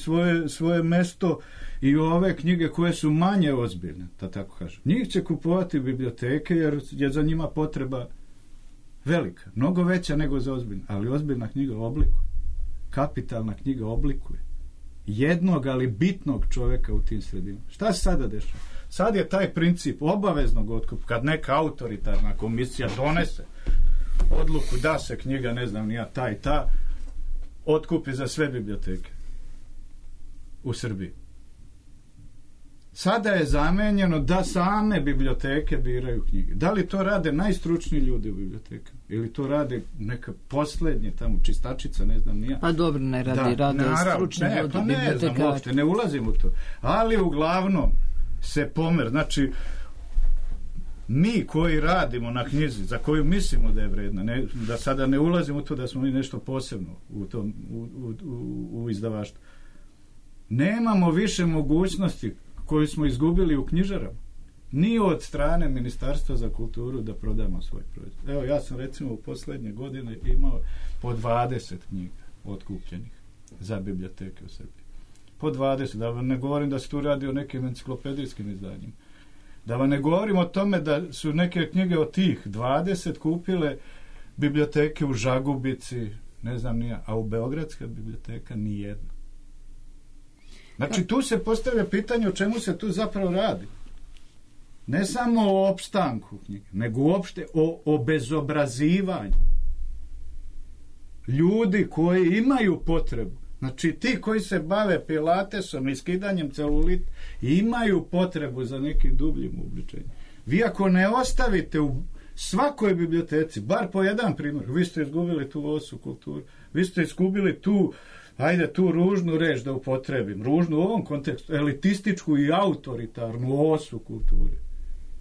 svoje mesto i ove knjige koje su manje ozbiljne, da tako kažem. Njih će kupovati biblioteke jer je za njima potreba velika, mnogo veća nego za ozbiljna, ali ozbiljna knjiga oblikuje. Kapitalna knjiga oblikuje jednog, ali bitnog čoveka u tim sredinama. Šta se sada dešava? Sad je taj princip obaveznog otkupa, kad neka autoritarna komisija donese odluku da se knjiga, ne znam ni ja, ta i ta, otkupi za sve biblioteke u Srbiji. Sada je zamenjeno da same biblioteke biraju knjige. Da li to rade najstručniji ljudi u bibliotekama? Ili to rade neka poslednje tamo čistačica, ne znam ni ja. Pa dobro, ne rade stručni ljudi bibliotekari. Znam uopšte, ne ulazim u to. Ali uglavnom se pomer, znači mi koji radimo na knjizi, za koju mislimo da je vredna, da sada ne ulazimo u to da smo mi nešto posebno u izdavaštvu, nemamo više mogućnosti koju smo izgubili u knjižarama, ni od strane Ministarstva za kulturu da prodamo svoj proizvod. Evo, ja sam recimo u poslednje godine imao po 20 knjiga otkupljenih za biblioteke u Srbiji. Po 20, da vam ne govorim da se tu radi o nekim enciklopedijskim izdanjima. Da vam ne govorim o tome da su neke knjige od tih 20 kupile biblioteke u Žagubici, ne znam nija, a u Beogradska biblioteka ni jedna. Znači, tu se postavlja pitanje o čemu se tu zapravo radi. Ne samo o opstanku knjige, nego uopšte o obezobrazivanju ljudi koji imaju potrebu. Znači, ti koji se bave pilatesom i skidanjem celulita imaju potrebu za nekim dubljim uobličenjem. Vi ako ne ostavite u svakoj biblioteci, bar po jedan primjer, vi ste izgubili tu osu kulturu, vi ste izgubili tu, ajde tu ružnu reč da upotrebim, ružnu u ovom kontekstu, elitističku i autoritarnu osu kulture.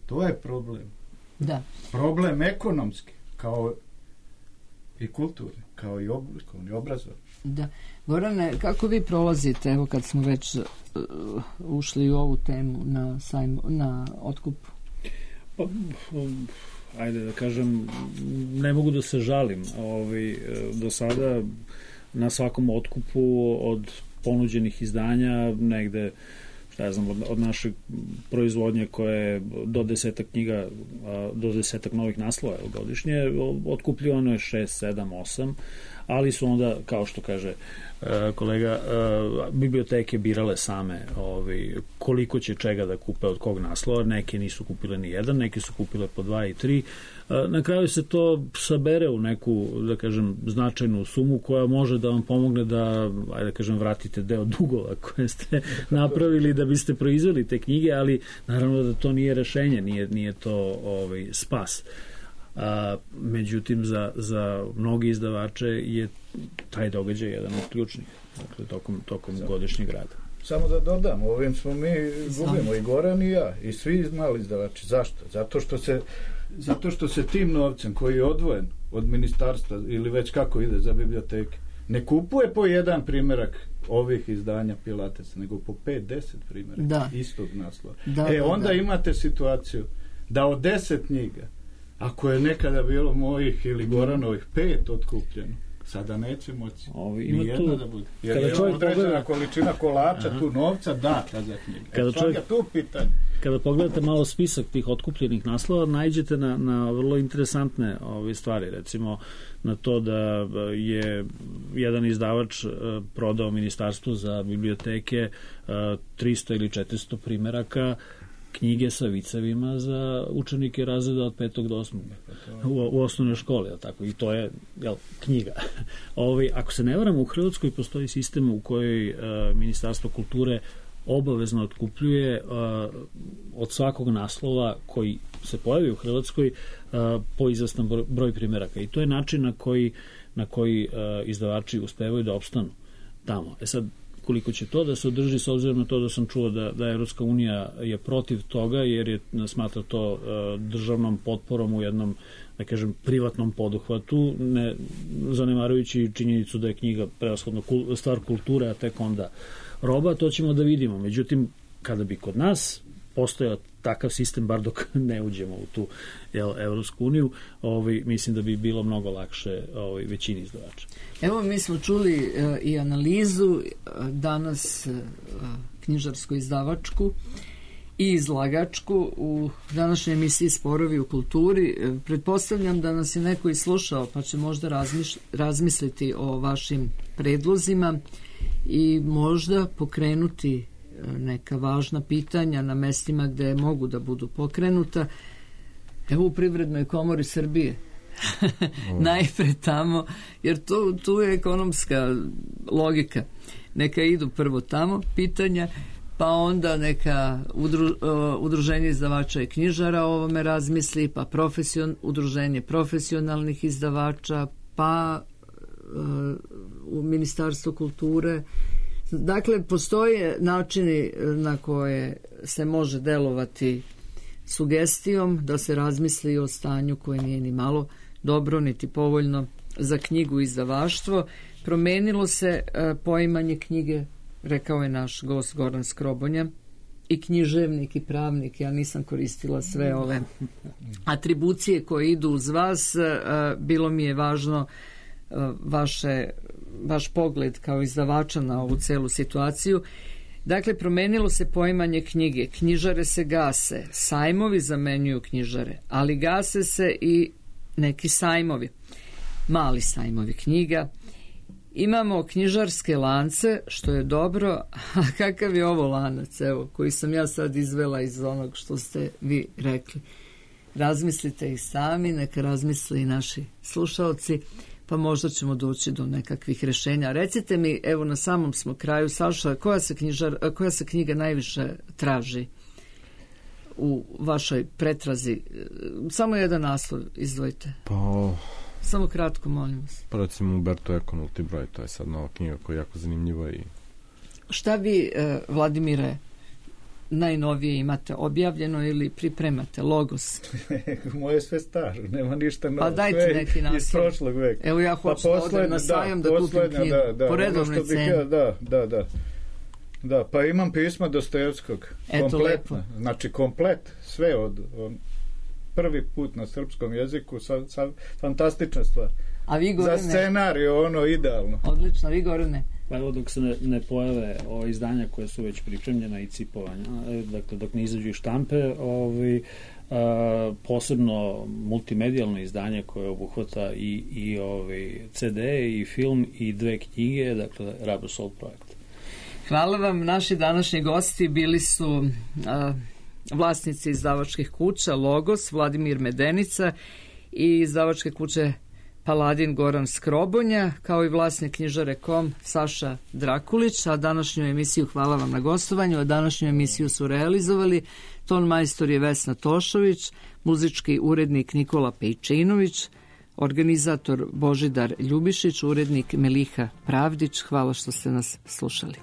To je problem. Da. Problem ekonomski, kao i kulturni, kao i oblikovni, obrazovni. Da. Gorane, kako vi prolazite, evo kad smo već ušli u ovu temu na otkupu? Pa, ajde da kažem, ne mogu da se žalim. Do sada na svakom otkupu od ponuđenih izdanja negde, šta znam, od naše proizvodnje koje do 10 knjiga, do 10 novih naslova godišnje, otkupljivano je 6, 7, 8, ali su onda, kao što kaže kolega, biblioteke birale same koliko će čega da kupe od kog naslova. Neke nisu kupile ni jedan, neke su kupile po 2 i 3. Na kraju se to sabere u neku, da kažem, značajnu sumu koja može da vam pomogne da, ajde da kažem, vratite deo dugova koje ste napravili da biste proizveli te knjige, ali naravno da to nije rešenje, nije to spas. Međutim, za mnogi izdavače je taj događaj jedan od ključnih, dakle, tokom godišnjeg rada. Samo da dodam, ovim smo mi gubimo i Goran i ja i svi mali izdavači. Zašto? Zato što se tim novcem koji je odvojen od ministarstva ili već kako ide za biblioteke, ne kupuje po jedan primjerak ovih izdanja Pilatesa, nego po 5-10 primjeraka istog naslova. Onda imate situaciju da od 10 knjiga, ako je nekada bilo mojih ili Goranovih 5 otkupljeno, sada neće moći nijedna da bude. Jer je određena količina kolača, tu novca data za knjige. Kada pogledate malo spisak tih otkupljenih naslova, nađete na vrlo interesantne stvari. Recimo na to da je jedan izdavač prodao Ministarstvu za biblioteke 300 ili 400 primeraka knjige sa vicevima za učenike razreda od 5. do 8. u osnovnoj školi, tako, i to je knjiga. Ako se ne varam, u Hrvatskoj postoji sistem u kojoj Ministarstvo kulture obavezno otkupljuje od svakog naslova koji se pojavi u Hrvatskoj po izvestan broj primjeraka, i to je način na koji izdavači uspevaju da opstanu tamo. Sad, koliko će to da se održi, s obzirom na to da sam čuo da Evropska unija je protiv toga, jer je smatra to državnom potporom u jednom, da kažem, privatnom poduhvatu, ne zanemarujući činjenicu da je knjiga prevashodno stvar kulture, a tek onda roba, to ćemo da vidimo. Međutim, kada bi kod nas postojao takav sistem, bar dok ne uđemo u tu Evropsku uniju, mislim da bi bilo mnogo lakše većini izdavača. Evo, mi smo čuli i analizu danas knjižarsko-izdavačku i izlagačku u današnjoj emisiji Sporovi u kulturi. Pretpostavljam da nas je neko i slušao, pa će možda razmisliti o vašim predlozima i možda pokrenuti neka važna pitanja na mestima gde mogu da budu pokrenuta. Evo u Privrednoj komori Srbije. Najpre tamo, jer tu je ekonomska logika. Neka idu prvo tamo pitanja, pa onda neka udruženje izdavača i knjižara o ovome razmisli, pa udruženje profesionalnih izdavača, pa u Ministarstvo kulture. Dakle, postoje načini na koje se može delovati sugestijom da se razmisli o stanju koje nije ni malo dobro, niti povoljno za knjigu i izdavaštvo. Promenilo se poimanje knjige, rekao je naš gost Goran Skrobonja, i književnik i pravnik. Ja nisam koristila sve ove atribucije koje idu uz vas. Bilo mi je važno vaš pogled kao izdavača na ovu celu situaciju. Dakle, promenilo se poimanje knjige. Knjižare se gase, sajmovi zamenjuju knjižare, ali gase se i neki sajmovi, mali sajmovi knjiga. Imamo knjižarske lance, što je dobro, a kakav je ovo lanac, evo, koji sam ja sad izvela iz onog što ste vi rekli. Razmislite i sami, neka razmisle i naši slušaoci, pa možda ćemo doći do nekakvih rešenja. Recite mi, evo na samom smo kraju, Saša, koja se knjiga najviše traži u vašoj pretrazi? Samo jedan naslov izdvojite. Samo kratko, molim vas. Pa recimo Umberto Eco Nulti broj, to je sad nova knjiga koja je jako zanimljiva. Šta vi, Vladimire, najnovije imate objavljeno ili pripremate? Logos? Moje sve staro, nema ništa novo. Pa dajte neki naslov. Iz prošlog veka. Evo ja hoću da odem na sajam da kupim knjigu. Po redovnoj ceni. Da, pa imam pisma Dostojevskog. Eto, lepo. Znači, komplet, sve od prvi put na srpskom jeziku, fantastična stvar. A vi, Gorane? Za scenarij, ono, idealno. Odlično, vi, Gorane? Pa evo, dok se ne pojave izdanja koje su već pripremljena i cipovanja, dakle, dok ne izađu iz štampe, posebno multimedijalno izdanje koje obuhvata i CD i film i 2 knjige, dakle, Rubber Soul projekt. Hvala vam. Naši današnji gosti bili su vlasnici izdavačkih kuća Logos, Vladimir Medenica, i izdavačke kuće Paladin Goran Skrobonja, kao i vlasnik knjižare KOM Saša Drakulić. A današnju emisiju, hvala vam na gostovanju, a današnju emisiju su realizovali ton majstor je Vesna Tošović, muzički urednik Nikola Pejčinović, organizator Božidar Ljubišić, urednik Meliha Pravdić. Hvala što ste nas slušali.